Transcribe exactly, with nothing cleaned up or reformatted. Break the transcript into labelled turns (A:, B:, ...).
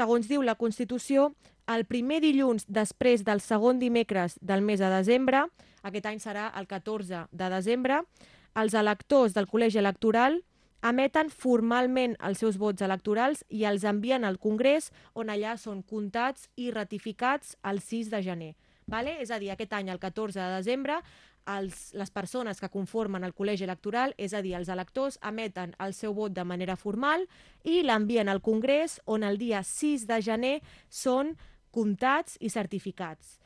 A: segons diu la Constitució, el primer dilluns després del segon dimecres del mes de desembre, aquest any serà el catorze de desembre, els electors del col·legi electoral emeten formalment els seus vots electorals i els envien al Congrés, on allà són comptats i ratificats el sis de gener. Vale? És a dir, aquest any, el catorze de desembre, els, les persones que conformen el col·legi electoral, és a dir, els electors, emeten el seu vot de manera formal i l'envien al Congrés, on el dia sis de gener són comptats i certificats.